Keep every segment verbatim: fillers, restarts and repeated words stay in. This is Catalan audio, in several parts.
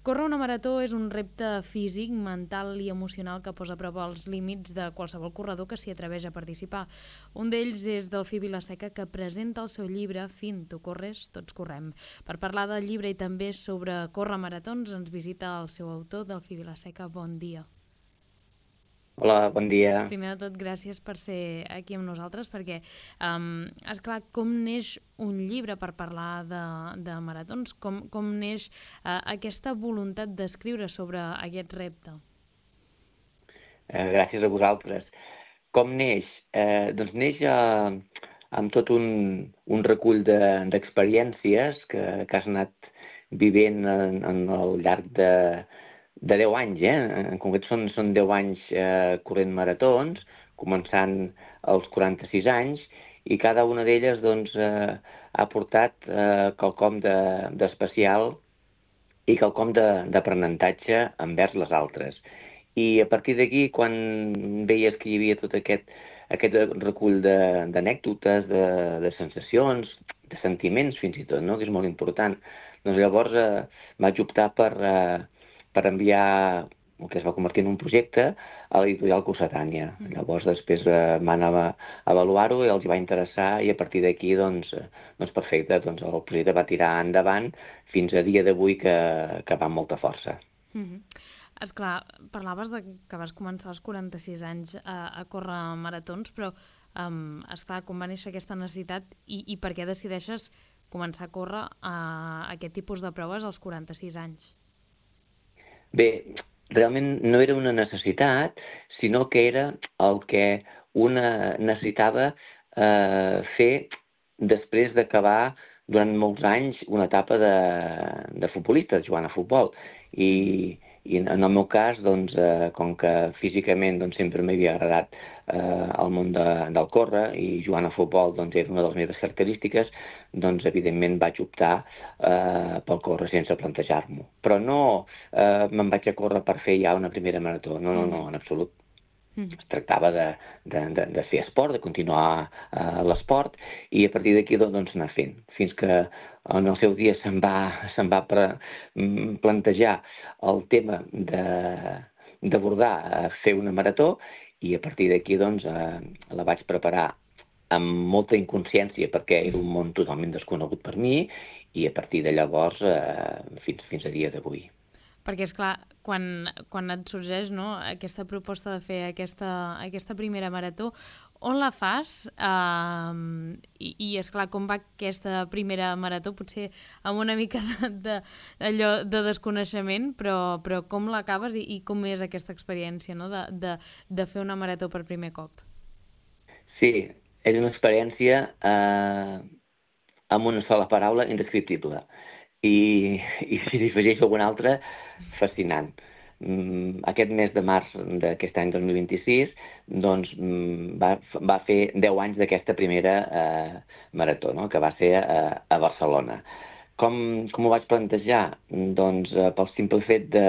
Córrer una marató és un repte físic, mental i emocional que posa a prova els límits de qualsevol corredor que s'hi atreveix a participar. Un d'ells és Delfí Vilaseca, que presenta el seu llibre Fin, tu corres, tots correm. Per parlar del llibre i també sobre córrer maratons ens visita el seu autor, Delfí Vilaseca. Bon dia. Hola, bon dia. Primer de tot, gràcies per ser aquí amb nosaltres, perquè, um, esclar, com neix un llibre per parlar de, de maratons? Com, com neix uh, aquesta voluntat d'escriure sobre aquest repte? Eh, gràcies a vosaltres. Com neix? Eh, doncs neix eh, amb tot un, un recull d'experiències de, que, que has anat vivent en, en el llarg de, de deu anys, eh? En concret són, són deu anys eh, corrent maratons, començant als quaranta-sis anys, i cada una d'elles doncs, eh, ha portat eh, quelcom d'especial i quelcom d'aprenentatge envers les altres. I a partir d'aquí, quan veies que hi havia tot aquest, aquest recull d'anècdotes, de, de, de sensacions, de sentiments fins i tot, no? Que és molt important, doncs llavors eh, vaig optar per, eh, per enviar el que es va convertir en un projecte a l'editorial Cossetània. Mm. Llavors després eh, van avaluar-ho i els va interessar, i a partir d'aquí, doncs, doncs perfecte, doncs el projecte va tirar endavant fins a dia d'avui que, que va amb molta força. Mm-hmm. Esclar, parlaves de que vas començar als quaranta-sis anys a, a córrer maratons, però um, esclar, com va néixer aquesta necessitat i, i per què decideixes començar a córrer a aquest tipus de proves als quaranta-sis anys? Bé, realment no era una necessitat, sinó que era el que una necessitava eh, fer després d'acabar durant molts anys una etapa de, de futbolista, jugant a futbol. I, i en el meu cas, doncs, eh, com que físicament doncs, sempre m'havia agradat eh, el món de, del córrer, i jugant a futbol doncs, era una de les meves característiques, doncs evidentment vaig optar eh, pel córrer sense plantejar-m'ho. Però no eh, me'n vaig a córrer per fer ja una primera marató, no, no, no, en absolut. Es tractava de, de, de, de fer esport, de continuar uh, l'esport, i a partir d'aquí doncs anar fent, fins que en el seu dia se'm va, se'm va pre, plantejar el tema d'abordar uh, fer una marató, i a partir d'aquí doncs uh, la vaig preparar amb molta inconsciència perquè era un món totalment desconegut per mi, i a partir de llavors uh, fins, fins a dia d'avui. Perquè, esclar, quan, quan et sorgeix, no, aquesta proposta de fer aquesta, aquesta primera marató, on la fas? Uh, I, i esclar, com va aquesta primera marató? Potser amb una mica de, de, allò de desconeixement, però, però com l'acabes i, i com és aquesta experiència, no, de, de, de fer una marató per primer cop? Sí, és una experiència eh, amb una sola paraula, indescriptible. I, i si li afegeixo alguna altra, fascinant. Mm, aquest mes de març d'aquest any dos mil vint-i-sis doncs, mm, va, va fer deu anys d'aquesta primera eh, marató, no? Que va ser eh, a Barcelona. Com, com ho vaig plantejar? Doncs eh, pel simple fet de,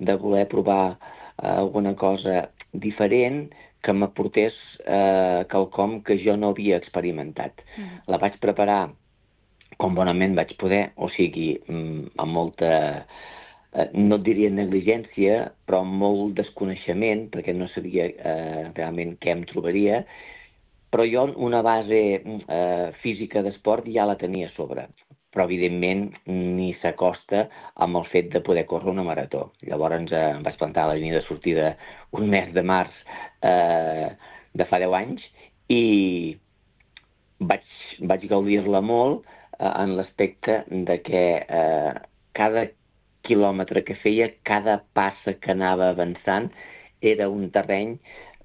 de voler provar eh, alguna cosa diferent que m'aportés eh, quelcom que jo no havia experimentat. Mm. La vaig preparar com bonament vaig poder, o sigui, amb molta, no et diria negligència, però amb molt desconeixement, perquè no sabia eh, realment què em trobaria, però jo una base eh, física d'esport ja la tenia a sobre, però evidentment ni s'acosta amb el fet de poder córrer una marató. Llavors eh, em vaig plantar a la línia de sortida un mes de març eh, de fa deu anys, i vaig, vaig gaudir-la molt, en l'aspecte de que eh, cada quilòmetre que feia, cada passa que anava avançant, era un terreny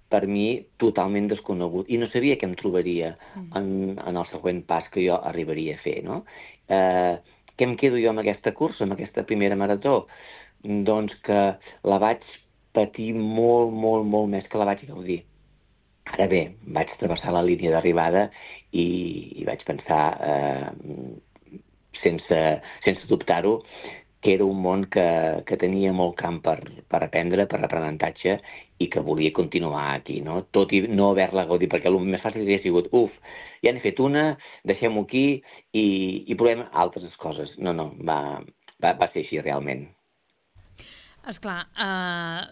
per mi totalment desconegut, i no sabia què em trobaria en, en el següent pas que jo arribaria a fer, no? Eh, què em quedo jo amb aquesta cursa, amb aquesta primera marató? Doncs que la vaig patir molt, molt, molt més que la vaig gaudir. Ara bé, vaig travessar la línia d'arribada i, i vaig pensar, eh, sense, sense dubtar-ho, que era un món que, que tenia molt camp per, per aprendre, per aprenentatge, i que volia continuar aquí, no? Tot i no haver-la gaudit, perquè el més fàcil hauria sigut, uf, ja n'he fet una, deixem-ho aquí i, i provem altres coses. No, no, va, va, va ser així realment. Esclar, uh,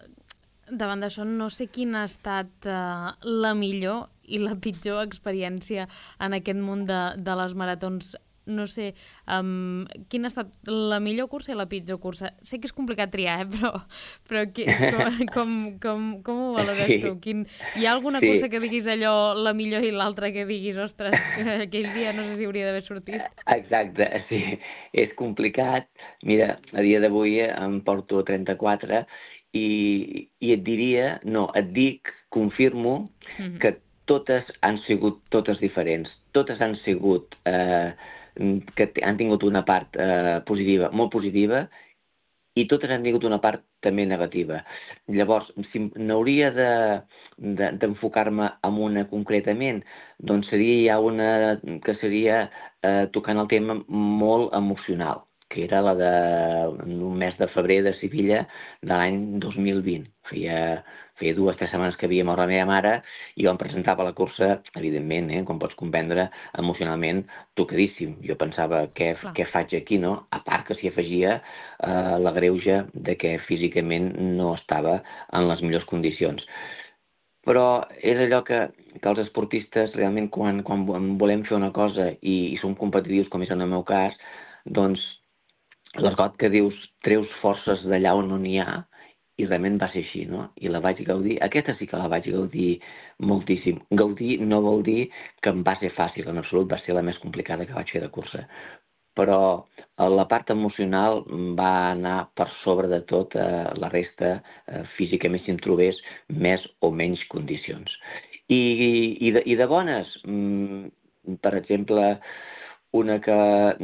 davant d'això no sé quina ha estat uh, la millor i la pitjor experiència en aquest món de, de les maratons. No sé, um, quina ha estat la millor cursa i la pitjor cursa? Sé que és complicat triar, eh? però, però qui, com, com, com, com ho valores tu? Sí, Quin, hi ha alguna sí, cursa que diguis allò la millor i l'altra que diguis, ostres, aquell dia no sé si hauria d'haver sortit? exacte, sí, és complicat. Mira, a dia d'avui em porto trenta-quatre i, i et diria, no, et dic, confirmo Mm-hmm. que totes han sigut totes diferents. Totes han sigut, eh, que han tingut una part eh, positiva, molt positiva, i totes han tingut una part també negativa. Llavors, si n'hauria de, de, d'enfocar-me en una concretament, doncs seria ja una que seria eh, tocant el tema molt emocional, que era la de un mes de febrer de Sevilla de l'any dos mil vint. Feia, feia dues o tres setmanes que havia mort la meva mare i jo em presentava a la cursa, evidentment, eh, com pots comprendre, emocionalment tocadíssim. Jo pensava, què, Clar. què faig aquí, no? A part que s'hi afegia eh, la greuge de que físicament no estava en les millors condicions. Però és allò que, que els esportistes realment quan, quan volem fer una cosa i, i som competitius, com és en el meu cas, doncs l'esgot que dius treus forces d'allà on no n'hi ha i realment va ser així, no? I la vaig gaudir, aquesta sí que la vaig gaudir moltíssim. Gaudir no vol dir que em va ser fàcil, en absolut va ser la més complicada que vaig fer de cursa. Però la part emocional va anar per sobre de tot eh, la resta, eh, físicament si em trobés més o menys condicions. I, i, de, i de bones, mm, per exemple, una que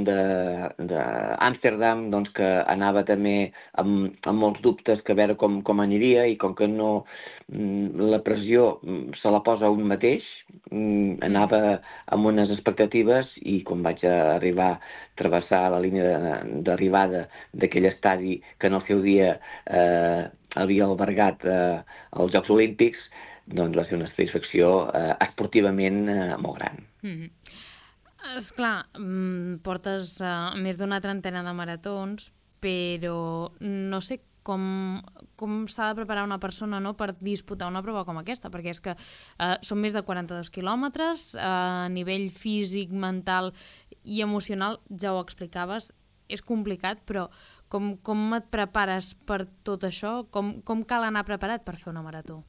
d'Amsterdam, doncs que anava també amb, amb molts dubtes que a veure com, com aniria i com que no la pressió se la posa un mateix, anava amb unes expectatives i quan vaig arribar a travessar la línia d'arribada d'aquell estadi que en el seu dia eh, havia albergat eh, els Jocs Olímpics, doncs va ser una satisfacció eh, esportivament eh, molt gran. Mm-hmm. Esclar, portes uh, més d'una trentena de maratons, però no sé com, com s'ha de preparar una persona, no?, per disputar una prova com aquesta, perquè és que uh, són més de quaranta-dos quilòmetres, uh, a nivell físic, mental i emocional, ja ho explicaves, és complicat, però com, com et prepares per tot això? Com, com cal anar preparat per fer una marató?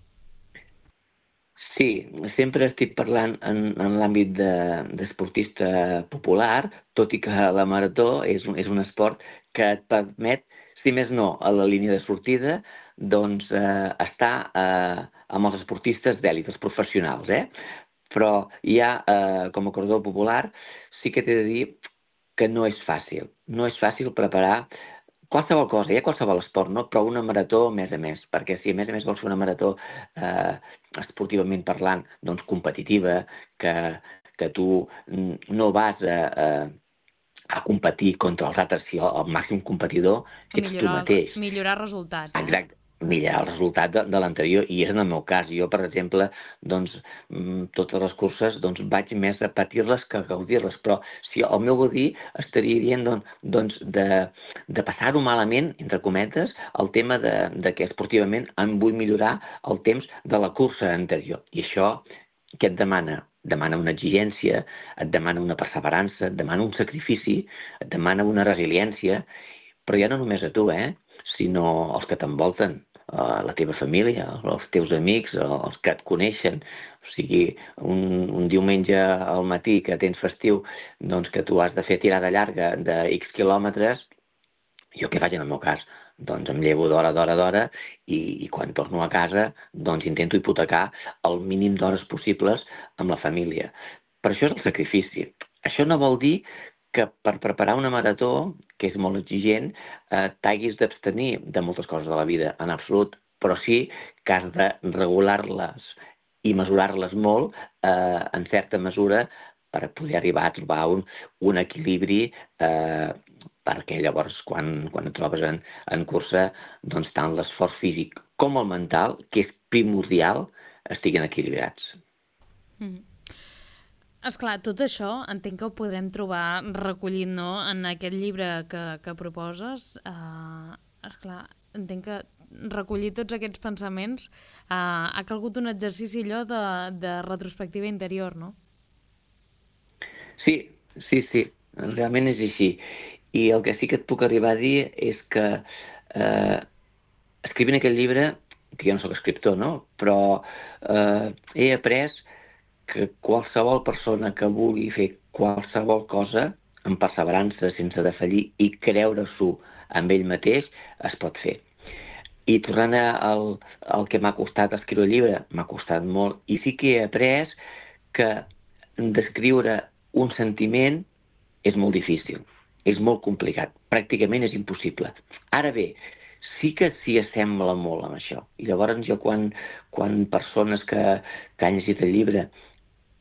Sí, sempre estic parlant en, en l'àmbit de, d'esportista popular, tot i que la marató és un, és un esport que et permet, si més no, a la línia de sortida, doncs eh, estar eh, amb els esportistes d'èlit, els professionals, eh? Però ja, eh, com a corredor popular, sí que t'he de dir que no és fàcil. No és fàcil preparar qualsevol cosa, hi ha qualsevol esport, no? Però una marató a més a més, perquè si a més a més vols fer una marató eh, esportivament parlant, doncs competitiva, que, que tu no vas a, a, a competir contra els altres, si el, el màxim competidor ets tu mateix. Millorar resultats, eh? Exacte. Millorar el resultat de, de l'anterior, i és en el meu cas. Jo, per exemple, doncs, totes les curses doncs, vaig més a patir-les que a gaudir-les, però si el meu gaudir estaria dient doncs, doncs de, de passar-ho malament, entre cometes, el tema de, de que esportivament em vull millorar el temps de la cursa anterior. I això què et demana? Demana una exigència, et demana una perseverança, et demana un sacrifici, et demana una resiliència, però ja no només a tu, eh? Sinó els que t'envolten, la teva família, els teus amics, els que et coneixen. O sigui, un, un diumenge al matí que tens festiu, doncs que tu has de fer tirada llarga de X quilòmetres, jo què faig en el meu cas? Doncs em llevo d'hora, d'hora, d'hora i, i quan torno a casa doncs intento hipotecar el mínim d'hores possibles amb la família. Per això és el sacrifici. Això no vol dir que per preparar una marató, que és molt exigent, eh, t'haguis d'abstenir de moltes coses de la vida, en absolut, però sí que has de regular-les i mesurar-les molt eh, en certa mesura per poder arribar a trobar un, un equilibri eh, perquè llavors quan, quan et trobes en, en cursa, doncs tant l'esforç físic com el mental, que és primordial, estiguin equilibrats. Mm. Esclar, tot això entenc que ho podrem trobar recollit, no?, en aquest llibre que, que proposes. Uh, esclar, entenc que recollir tots aquests pensaments eh, ha calgut un exercici allò de, de retrospectiva interior, no? Sí, sí, sí, realment és així. I el que sí que et puc arribar a dir és que eh, escrivint aquest llibre, que jo no sóc escriptor, no? Però eh, he après que qualsevol persona que vulgui fer qualsevol cosa amb perseverança, sense defallir i creure-s'ho amb ell mateix, es pot fer. I tornant al, al que m'ha costat escriure el llibre, m'ha costat molt, i sí que he après que descriure un sentiment és molt difícil, és molt complicat, pràcticament és impossible. Ara bé, sí que s'hi assembla molt amb això. I llavors jo quan, quan persones que, que han llegit el llibre,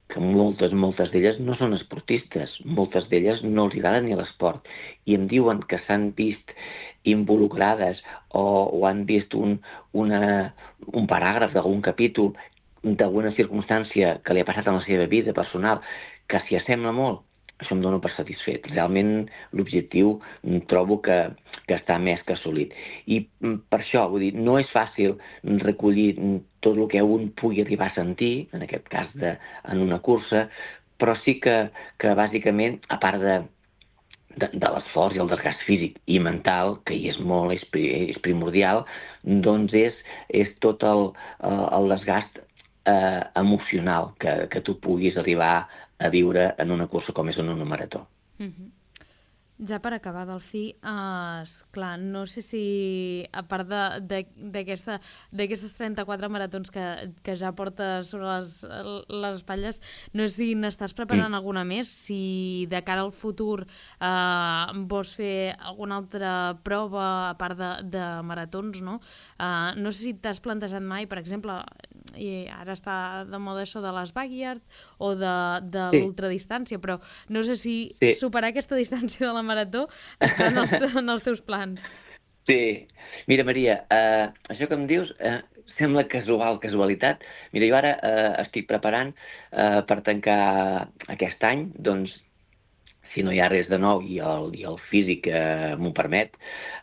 que moltes, moltes d'elles no són esportistes, moltes d'elles no els agrada ni l'esport, i em diuen que s'han vist involucrades o, o han vist un, una, un paràgraf d'algun capítol, d'alguna circumstància que li ha passat en la seva vida personal, que s'hi assembla molt, això em dono per satisfet. Realment l'objectiu trobo que, que està més que assolit. I per això, vull dir, no és fàcil recollir tot el que un pugui arribar a sentir, en aquest cas de, en una cursa, però sí que, que bàsicament, a part de, de, de l'esforç i el desgast físic i mental, que hi és molt, és, és primordial, doncs és, és tot el, el desgast eh, emocional que, que tu puguis arribar a viure en una cursa com és en una marató. Mm-hmm. Ja per acabar, Delfí, uh, esclar, no sé si, a part d'aquestes trenta-quatre maratons que, que ja portes sobre les, les espatlles, no sé si n'estàs preparant mm. alguna més, si de cara al futur uh, vols fer alguna altra prova a part de, de maratons, no? Uh, no sé si t'has plantejat mai, per exemple, i ara està de moda això de les backyard o de, de sí. l'ultradistància, però no sé si sí. superar aquesta distància de la marató està en els, en els teus plans. Sí. Mira, Maria, eh, això que em dius eh, sembla casual, casualitat. Mira, jo ara eh, estic preparant eh, per tancar aquest any, doncs, si no hi ha res de nou i el, i el físic eh, m'ho permet,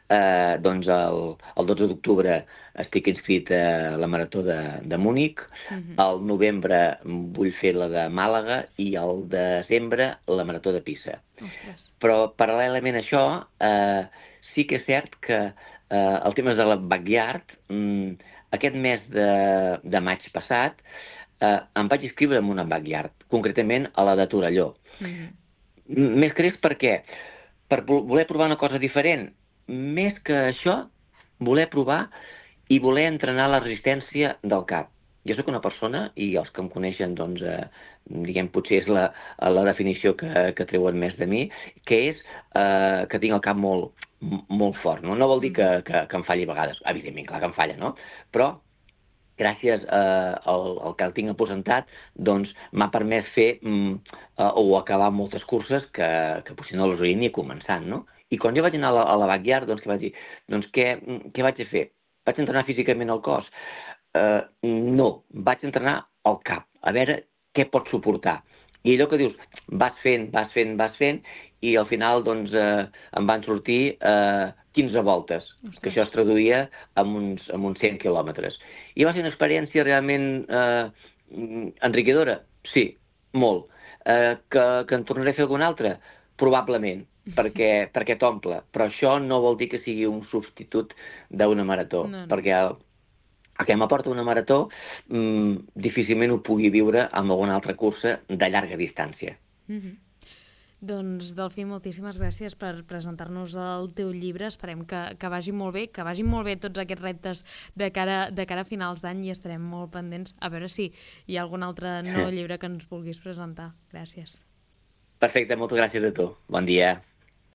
eh, doncs el, el dotze d'octubre estic inscrit a la marató de, de Múnich, uh-huh. al novembre vull fer la de Màlaga i al desembre la marató de Pisa. Ostres. Però paral·lelament a això, eh, sí que és cert que eh, el tema de la backyard, mm, aquest mes de, de maig passat, eh, em vaig inscriure en una backyard, concretament a la de Torelló. Uh-huh. Més que res per què? Per voler provar una cosa diferent. Més que això, voler provar i voler entrenar la resistència del cap. Jo sóc una persona, i els que em coneixen, doncs, eh, diguem, potser és la, la definició que, que treuen més de mi, que és eh, que tinc el cap molt, molt fort. No, no vol dir que, que, que em falli a vegades. Evidentment, clar que em falla, no? Però gràcies eh, al, al que el tinc aposentat, doncs m'ha permès fer mm, eh, o acabar moltes curses que, que potser no les hauria ni començant, no? I quan jo vaig anar a la, a la backyard, doncs què vaig dir? Doncs què, què vaig a fer? Vaig entrenar físicament el cos? Eh, no, vaig entrenar el cap, a veure què pot suportar. I allò que dius, vas fent, vas fent, vas fent, i al final doncs eh, em van sortir eh, quinze voltes, Ostres. Que això es traduïa en uns, en uns cent quilòmetres. I va ser una experiència realment eh, enriquidora? Sí, molt. Eh, que, que en tornaré a fer alguna altra? Probablement, perquè, perquè t'omple. Però això no vol dir que sigui un substitut d'una marató, no, no. perquè el, el que m'aporta una marató mmm, difícilment ho pugui viure amb alguna altra cursa de llarga distància. Mm-hmm. Doncs, Delfí, moltíssimes gràcies per presentar-nos el teu llibre. Esperem que, que vagi molt bé, que vagin molt bé tots aquests reptes de cara, de cara a finals d'any i estarem molt pendents a veure si hi ha algun altre nou llibre que ens vulguis presentar. Gràcies. Perfecte, moltes gràcies a tu. Bon dia.